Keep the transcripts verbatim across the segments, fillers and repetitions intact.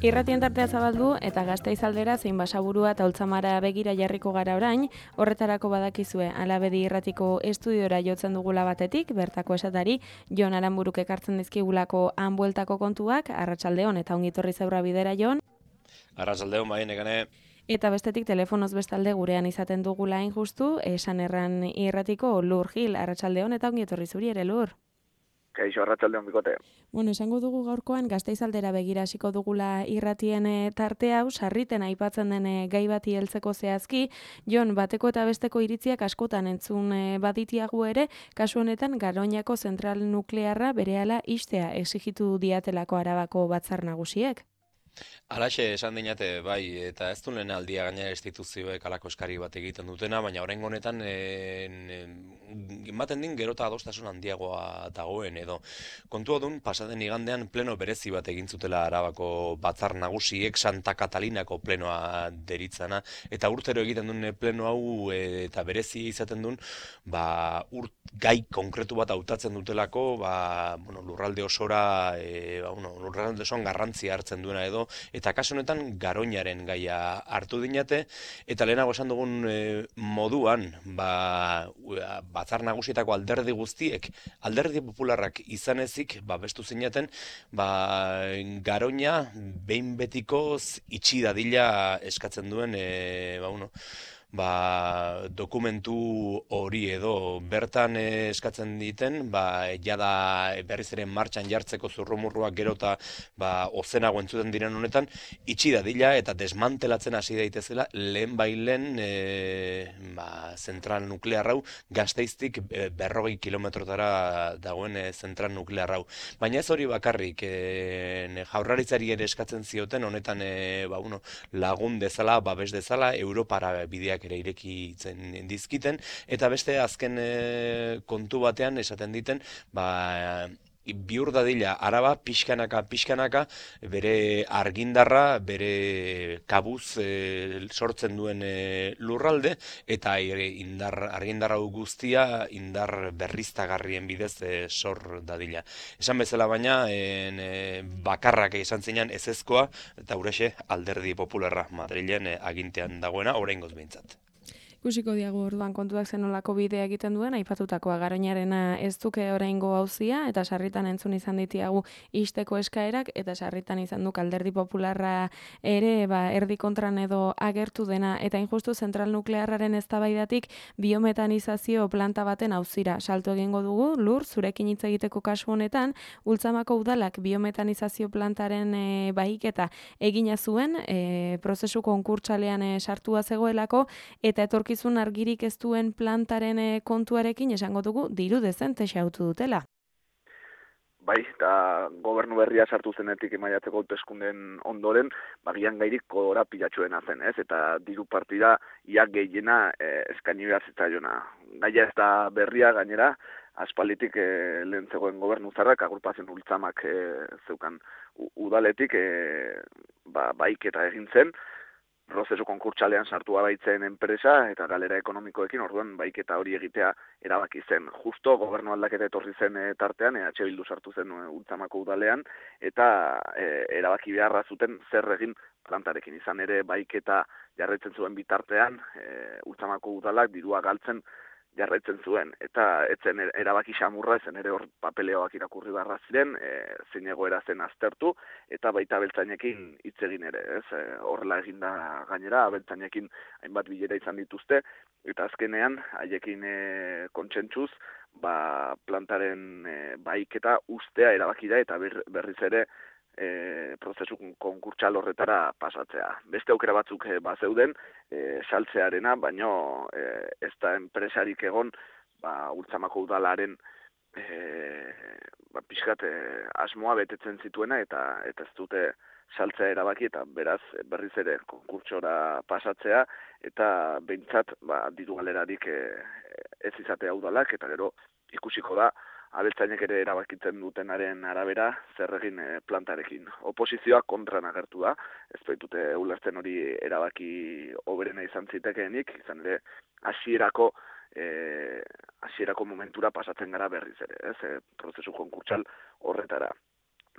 Irratien tartea zabaldu eta Gasteiz aldera zein Basaburua eta Oltzamara begira jarriko gara orain, horretarako badakizue Alabedi irratiko estudiora jotzen dugula batetik, bertako esatari Jon Aranburuk ekartzen dizkigulako han bueltako kontuak, arratsaldeon eta ongitorri zeurra bidera Jon. Arratsaldeon bai negane. Eta bestetik telefonoz bestalde gurean izaten dugula hain justu, esan erran irratiko Lur Gil, arratsaldeon eta ongitorri zuri ere Lur. Kaixo, arratsaldeon bikote. Bueno, esango dugu gaurkoan Gasteiz aldera begira hasiko dugula irratien tarte hau, sarriten aipatzen den gai bati heltzeko zehazki, Jon, bateko eta besteko iritziak askotan entzun baditiagu ere, kasu honetan Garoñako zentral nuklearra berehala ixtea exigitu diatelako Arabako batzar nagusiek. Alaxe esan dinate, bai, eta ez du lehen aldia gainera instituzioek alako eskari bat egiten dutena, baina oraingo honetan ematen din gerota adostasun handiagoa dagoen edo. Kontua dun, pasaden igandean pleno berezi bat egin zutela Arabako batzar nagusiek Santa Catalinako plenoa deritzana, eta urtero egiten duen pleno hau e, eta berezi izaten duen, ba, urt, gai konkretu bat hautatzen dutelako, ba, bueno, lurralde osora, e, ba, bueno, lurralde osoan garrantzia hartzen duena edo, eta kasu honetan Garoñaren gaia hartu dinate, eta lehenago esan dugun e, moduan, ba, batzar nagusietako alderdi guztiek, alderdi popularrak izan ezik, ba, bestu zinaten, ba, Garoña behin betikoz itxi dadila eskatzen duen, e, ba, uno, ba, dokumentu hori edo bertan eskatzen diten, ba, jada berriz ere martxan jartzeko zurrumurruak gerota ba, ozenago entzuten diren honetan, itxi dadila eta desmantelatzen hasi daitezela lehen bailen e, ba, zentral nuklear hau, Gasteiztik e, berrogei kilometrotara dagoen e, zentral nuklear hau. Baina ez hori bakarrik, e, jaurlaritzari ere eskatzen zioten honetan e, ba, uno, lagun dezala, babes dezala, Europara bideak ere irekitzen dizkiten, eta beste azken e, kontu batean esaten diten, ba, bihur dadila Araba pixkanaka pixkanaka bere argindarra, bere kabuz e, sortzen duen e, lurralde, eta e, indar, argindarra guztia indar berriztagarrien bidez e, sor dadila. Esan bezala baina, en, e, bakarrak izan zinean ezezkoa, eta urexe alderdi popularra Madrilen e, agintean dagoena, oraingoz behintzat. Ikusiko diagu orduan kontuak zenolako bidea egiten duen, aipatutakoa Garoñarena ez duke oraingo auzia eta sarritan entzun izan ditiagu ixteko eskaerak eta sarritan izan duk alderdi popularra ere ba, erdi kontran edo agertu dena eta injustu zentral nuklearraren eztabaidatik biometanizazio planta baten auzira salto egingo dugu. Lur, zurekin hitz egiteko kasu honetan, Ultzamako udalak biometanizazio plantaren e, bahiketa egina zuen, e, prozesu konkurtsalean e, sartua zegoelako eta etorki zun argirik ez duen plantaren kontuarekin esango dugu diru dezente xautu dutela. Bai, eta gobernu berria sartu zenetik maiatzeko hauteskundeen ondoren, bagian gairik kodora pilatxuena zen, ez? Eta diru partida ia gehiena eh, eskaini behar zitzaiona. Gaia ez da berria gainera, aspalditik eh, lehen zegoen gobernu zarrak, agrupazion Ultzamak eh, zeukan udaletik, eh, ba, baiketa egin zen, prozesu konkurtsalean sartua baitzen enpresa eta galera ekonomikoekin, orduan baiketa hori egitea erabaki zen. Justo gobernu aldaketa etorri zen e, tartean, E H Bildu sartu zen e, Ultzamako udalean, eta e, erabaki beharra zuten zer egin plantarekin. Izan ere baiketa jarraitzen zuen bitartean, e, Ultzamako udalak dirua galtzen jarraitzen zuen, eta etzen erabaki xamurra, ezen ere hor papeleoak irakurri barra ziren, e, zein egoera zen aztertu, eta baita abeltzainekin hitz egin ere, ez? E, horrela eginda gainera, abeltzainekin hainbat bilera izan dituzte, eta azkenean, haiekin e, kontsentsuz, ba, plantaren e, baiketa ustea erabaki da, eta ber, berriz ere, E, prozesu konkurtsal horretara pasatzea. Beste aukera batzuk e, bazeuden e, saltzearena, baino e, ez da enpresarik egon ba, Ultzamako udalaren e, ba, pixkat e, asmoa betetzen zituena eta, eta ez dute saltzea erabaki eta beraz berriz ere konkurtsora pasatzea eta behintzat ba, diru galerarik e, ez izatea udalak eta gero ikusiko da abeltzainek ere erabakitzen dutenaren arabera zer egin e, plantarekin. Oposizioa kontran agertu da, ez baitute ulertzen hori erabaki hoberena izan zitekeenik, izan ere hasierako e, hasierako momentura pasatzen gara berriz ere, ez, e, prozesu konkurtsal horretara.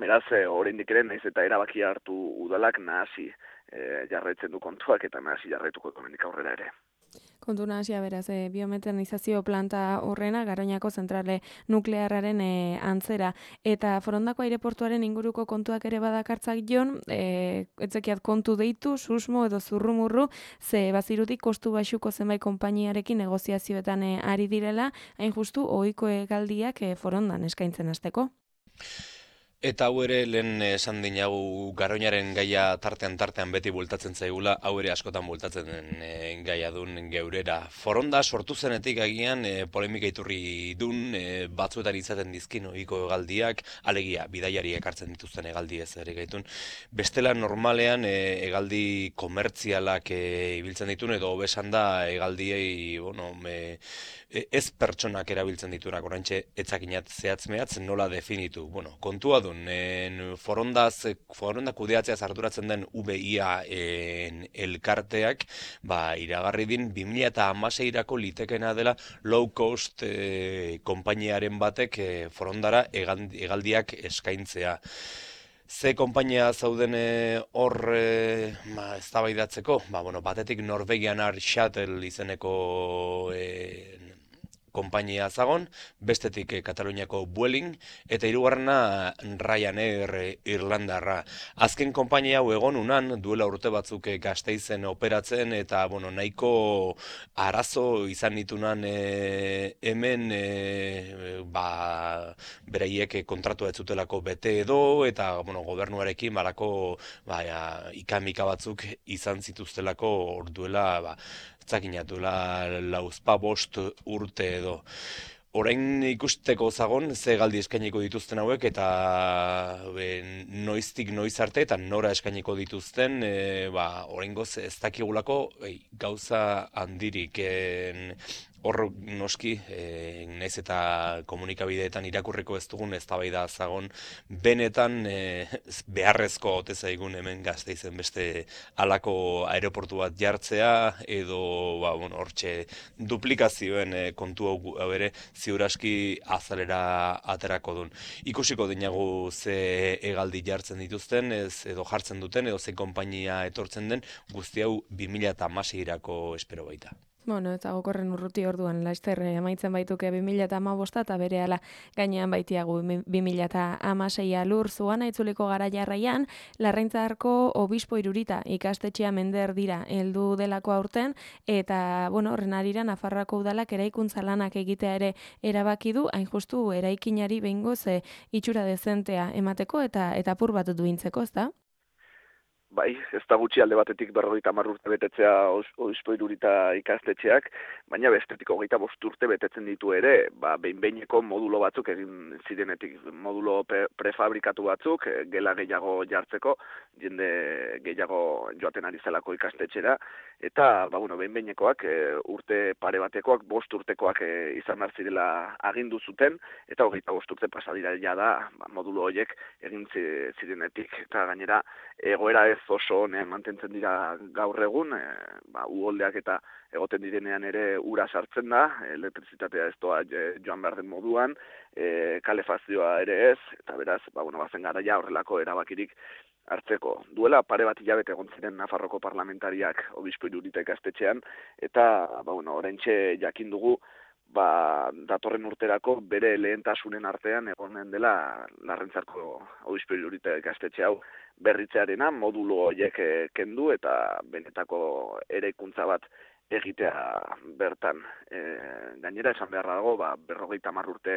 Beraz, e, oraindik ere naiz eta erabaki hartu udalak nahasi e, jarraitzen du kontuak eta nahasi jarraituko hemendik aurrera ere. Kontu nahasia beraz, e, biometranizazio planta horrena, Garoñako zentrale nuklearraren e, antzera. Eta Forondako aireportuaren inguruko kontuak ere badakartzak jon, e, etzekiat kontu deitu, susmo edo zurrumurru, ze bazirutik kostu baxuko zenbait konpainiarekin negoziazioetan e, ari direla, hain justu ohiko hegaldiak e, Forondan eskaintzen hasteko. Eta hau ere lehen esan dinagu Garoñaren gaia tartean tartean beti bultatzen zaigula, hau ere askotan bultatzen den e, gaia dun geurera. Foronda sortu zenetik agian e, polemika iturri dun e, batzuetan izaten dizkin ohiko hegaldiak, alegia bidaiariek hartzen dituzten hegaldi ez ere gaitun. Bestela normalean e, hegaldi komertzialak e, ibiltzen ditun edo hobesan da hegaldiei, bueno, e, ez pertsonak erabiltzen ditunak, oraintxe etzakinat zehatz mehatz nola definitu. Bueno, kontua dun, en Forondaz, Foronda kudeatzeaz arduratzen den V I A en elkarteak, ba, iragarri din bi mila hamaseirako litekena dela low cost e, konpainiaren batek e, Forondara hegaldiak eskaintzea. Ze konpainia zauden hor e, ba, eztabaidatzeko? Ba, bueno, batetik Norwegian Air Shuttle izeneko e, konpainia zagon, bestetik eh, Kataluniako Vueling, eta hirugarrena Ryanair eh, Irlandarra. Azken konpainia hau egon unan, duela urte batzuk eh, Gasteizen operatzen, eta bueno, nahiko arazo izan ditunan eh, hemen eh, ba, beraiek kontratua ez zutelako bete edo, eta bueno, gobernuarekin balako ba, ja, ikamika batzuk izan zituztelako orduela, ba, zakinatula lauzpa bost urte edo. Orain ikusteko zagon, ze galdi eskainiko dituzten hauek, eta be, noiztik noiz arte, eta nora eskainiko dituzten, e, ba, orain goz ez dakigulako e, gauza handirik. E, hor noski, e, naiz eta komunikabideetan irakurriko ez dugun eztabaida zagon, benetan e, beharrezko ote zaigun hemen Gasteizen beste halako aeroportu bat jartzea, edo ba, bueno, hortxe duplikazioen e, kontu hau ere ziur aski azalera aterako dun. Ikusiko dinagu ze hegaldi jartzen dituzten, ez, edo jartzen duten, edo ze konpainia etortzen den, guzti hau bi mila hamaseirako espero baita. Bueno, eta gokorren urruti orduan, laster amaitzen baituke bi mila hamabost eta berehala gainean baitiagu bi mila hamaseia lur zuan aitzuliko gara jarraian, Larraintzarko obispo irurita ikastetxea mender dira heldu delako aurten, eta, bueno, horren arira Nafarroako udalak eraikuntza lanak egitea ere erabaki du, hain justu eraikinari behingoz e, itxura dezentea emateko eta eta apur bat duintzeko, ezta? Bai, ez da gutxi alde batetik berrogeita hamar urte betetzea obispo irurita ikastetxeak, baina bestetik hogeita bost urte betetzen ditu ere, ba, behin-behineko modulo batzuk egin zirenetik, modulo prefabrikatu batzuk, gela gehiago jartzeko, jende gehiago joaten ari zelako ikastetxera, eta ba, bueno, behin-behinekoak urte pare batekoak, bost urtekoak izan behar zirela agindu zuten, eta hogeita bost urte pasadira ja da ba, modulo horiek egin zirenetik, eta gainera egoera ez oso honean mantentzen dira gaur egun, e, ba, uholdeak eta egoten direnean ere ura sartzen da, elektrizitatea ez doa joan behar den moduan, e, kalefazioa ere ez, eta beraz, ba, bueno, bazen garaia horrelako erabakirik hartzeko. Duela pare bat hilabete egon ziren Nafarroko parlamentariak obispo irurita ikastetxean, eta ba, bueno, oraintxe jakin dugu, ba, datorren urterako bere lehentasunen artean egonen dela Larraintzarko obispo irurita ikastetxe hau berritzearena, modulo horiek kendu eta benetako eraikuntza bat egitea bertan. E, gainera esan beharra dago, ba, berrogeita hamar urte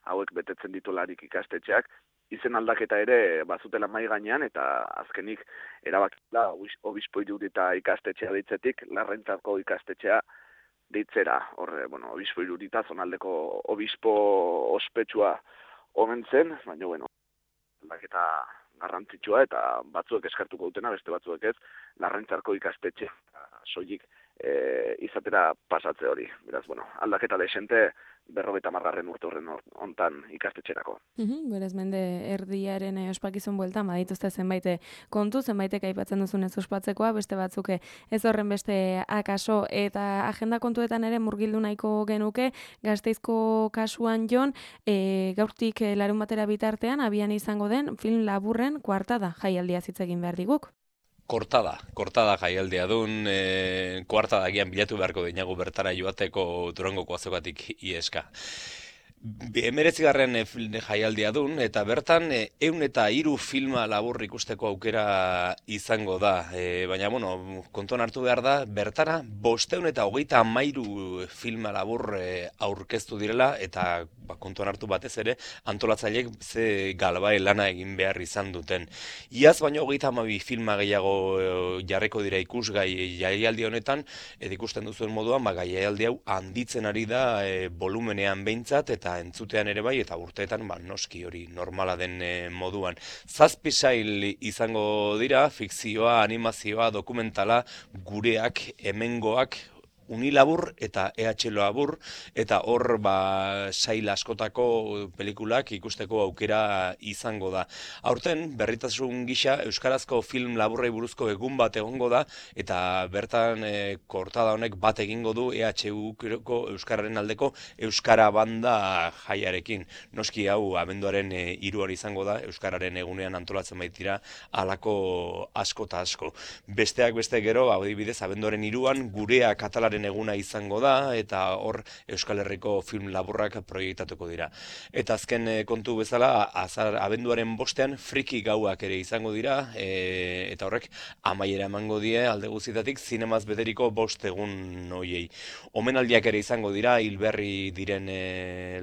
hauek betetzen ditularik ikastetxeak, izen aldaketa ere bazutela mai gainean, eta azkenik erabakila obispo irurita ikastetxea deitzetik, Larraintzarko ikastetxea deitzera. Horre, bueno, obispo irurita zonaldeko obispo ospetsua omen zen, baina, bueno, aldaketa garrantzitsua eta batzuek eskartuko dutena, beste batzuek ez, Larraintzarko ikastetxe soilik e, izatera pasatze hori. Beraz, bueno, aldaketa desente berrogeita margarren urte horren hontan ikastetxerako. Mhm, beraz, mende erdiaren eh, ospakizun bueltan, badituzte zenbait eh, kontu, zenbaitek aipatzen duzunez ospatzekoa, beste batzuke ez horren beste akaso, eta agenda kontuetan ere murgildu nahiko genuke, Gasteizko kasuan Jon, e, gaurtik e, larun batera bitartean, abian izango den film laburren kuartada jaialdia hitz egin behar diguk. Kortada, kortada jaialdea dun, e, kuartada gian bilatu beharko dinagu bertara joateko Durangoko azokatik ieska. Emeretzigarren jaialdia dun, eta bertan e, eun eta hiru filma labur ikusteko aukera izango da. E, baina, bueno, kontuan hartu behar da, bertara bosteun eta hogeita hamairu filma labur e, aurkeztu direla, eta ba, kontuan hartu batez ere, antolatzaileek ze galbae lana egin behar izan duten. Iaz baino hogeita hamabi filma gehiago e, jarriko dira ikusgai jaialdi honetan, eta ikusten duzuen moduan, ba, jaialdi hau handitzen ari da e, volumenean behintzat, eta entzutean ere bai, eta urteetan ba, noski hori normala den e, moduan. Zazpi sail izango dira, fikzioa, animazioa, dokumentala, gureak, hemengoak, unilabur eta E H labur, eta hor ba, sail askotako pelikulak ikusteko aukera izango da. Aurten, berritasun gisa, euskarazko film laburrei buruzko egun bat egongo da, eta bertan e, kortada honek bat egingo du E H U-ko euskararen aldeko euskara banda jaiarekin. Noski hau, abenduaren e, hiruan izango da, euskararen egunean antolatzen baitira halako asko eta asko. Besteak beste gero, adibidez, abenduaren hiruan gurea katalaren eguna izango da, eta hor Euskal Herriko film laburrak proiektatuko dira. Eta azken e, kontu bezala, azar, abenduaren bostean friki gauak ere izango dira, e, eta horrek amaiera emango die alde guztietatik zinemaz bederiko bost egun hoiei. Omenaldiak ere izango dira, hilberri diren e,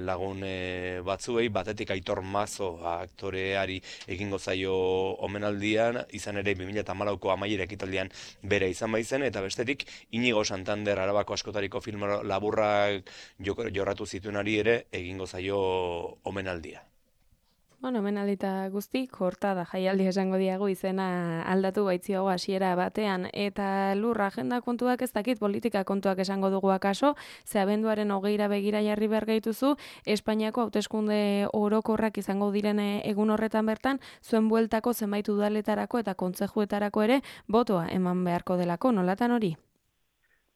lagun e, batzuei, batetik Aitor Mazo aktoreari egingo zaio omenaldian, izan ere bi mila hamalauko amaiera ekitaldian bere izan baizen, eta bestetik Inigo Santander Arabako askotariko film laburrak jorratu zituenari ere egingo zaio omenaldia. Bueno, omenaldita guzti, kortada jaialdi esango diagu izena aldatu baitzioago hasiera batean, eta lur agenda kontuak ez dakit politika kontuak esango dugu akaso, ze abenduaren hogeira begira jarri behar gaituzu, Espainiako hauteskunde orokorrak izango direne egun horretan bertan, zuen bueltako zenbait udaletarako eta kontzejuetarako ere botoa eman beharko delako, nolatan hori?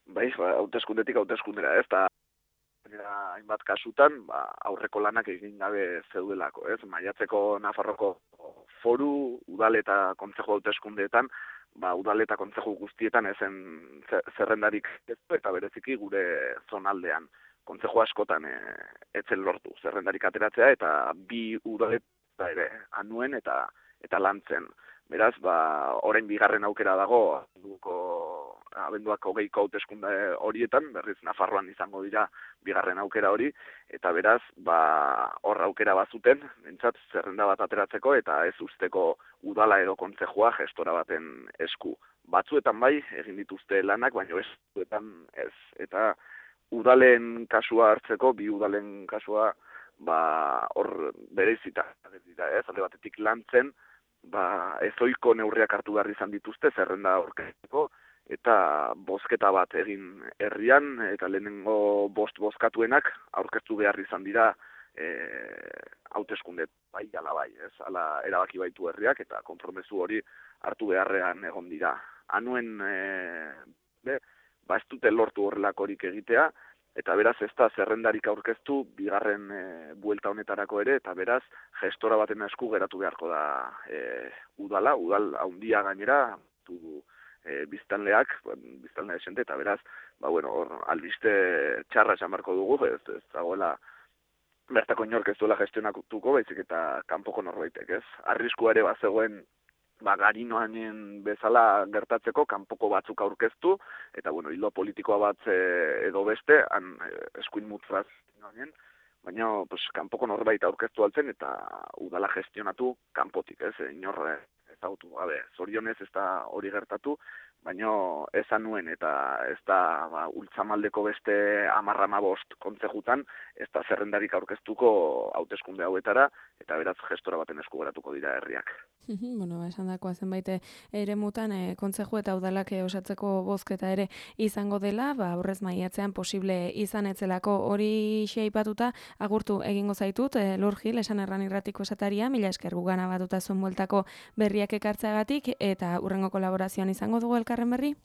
Bai, hauteskundetik hauteskundera, ez da hainbat kasutan, ba, aurreko lanak egin gabe zeudelako, ez? Maiatzeko Nafarroko foru, udal eta kontzeju hauteskundeetan, ba, udal eta kontzeju guztietan ezen zerrendarik ez, eta bereziki gure zonaldean. Kontzeju askotan e, etzen lortu zerrendarik ateratzea, eta bi udaleta ere anuen eta eta lantzen. Beraz, ba, orain bigarren aukera dago, abenduko, abenduak hogeiko hauteskunde horietan, berriz Nafarroan izango dira bigarren aukera hori, eta beraz, ba, hor aukera bazuten, bentsat, zerrenda bat ateratzeko, eta ez usteko udala edo kontzejua gestora baten esku. Batzuetan bai, egin dituzte lanak, baina ez, batzuetan ez. Eta udalen kasua hartzeko, bi udalen kasua, ba, hor bereizita, ez, alde batetik lantzen, ba, ezoiko neurriak hartu behar izan dituzte, zerrenda aurkezteko, eta bozketa bat egin herrian, eta lehenengo bost bozkatuenak aurkeztu behar izan dira e, hauteskunde bai, ala bai, ez, ala erabaki baitu herriak, eta konpromesu hori hartu beharrean egon dira. Anuen, e, be, ba ez dute lortu horrelakorik egitea, eta beraz ez da zerrendarik aurkeztu bigarren e, buelta honetarako ere, eta beraz gestora baten esku geratu beharko da e, udala, udal haundia gainera, du e, biztanleak, biztanle desente, eta beraz, ba bueno, hor albiste txarra esan beharko dugu, ez, ez dagoela bertako inork ez duela gestionatuko, baizik eta kanpoko norbaitek, ez? Arriskua ere bazegoen ba, garinoanen bezala gertatzeko kanpoko batzuk aurkeztu, eta, bueno, hilo politikoa bat e, edo beste, han e, eskuin mutraz, baina, pues, kanpoko norbait aurkeztu altzen, eta udala gestionatu kanpotik, ez? Inor ezagutu, gabe, zorionez ez da hori gertatu, baino esan nuen eta ez da ba, ultzamaldeko beste hamar hamabost kontzejutan, ez da zerrendarik aurkeztuko hauteskunde hauetara, eta beraz gestora baten esku geratuko dira herriak. Bueno, esan dakoa zenbait ere mutan e, kontzeju eta udalak osatzeko bozketa ere izango dela, ba, aurrez maiatzean posible izan etzelako hori xeipatuta, agurtu egingo zaitut, e, Lur Gil, esan erran irratiko esataria, mila esker gugana batuta zuen bueltako berriak ekartzeagatik, eta hurrengo kolaborazioan izango dugu elkarren berri?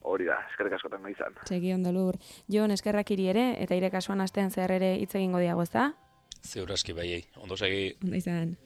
Hori da, eskerrik askotan nahi izan. Segi ondo, Lur. Jon, eskerrak iri ere, eta ire kasuan astean zehar ere hitz egingo diago, ez da? Zeur aski baiei, ondo segi. Ondo izan.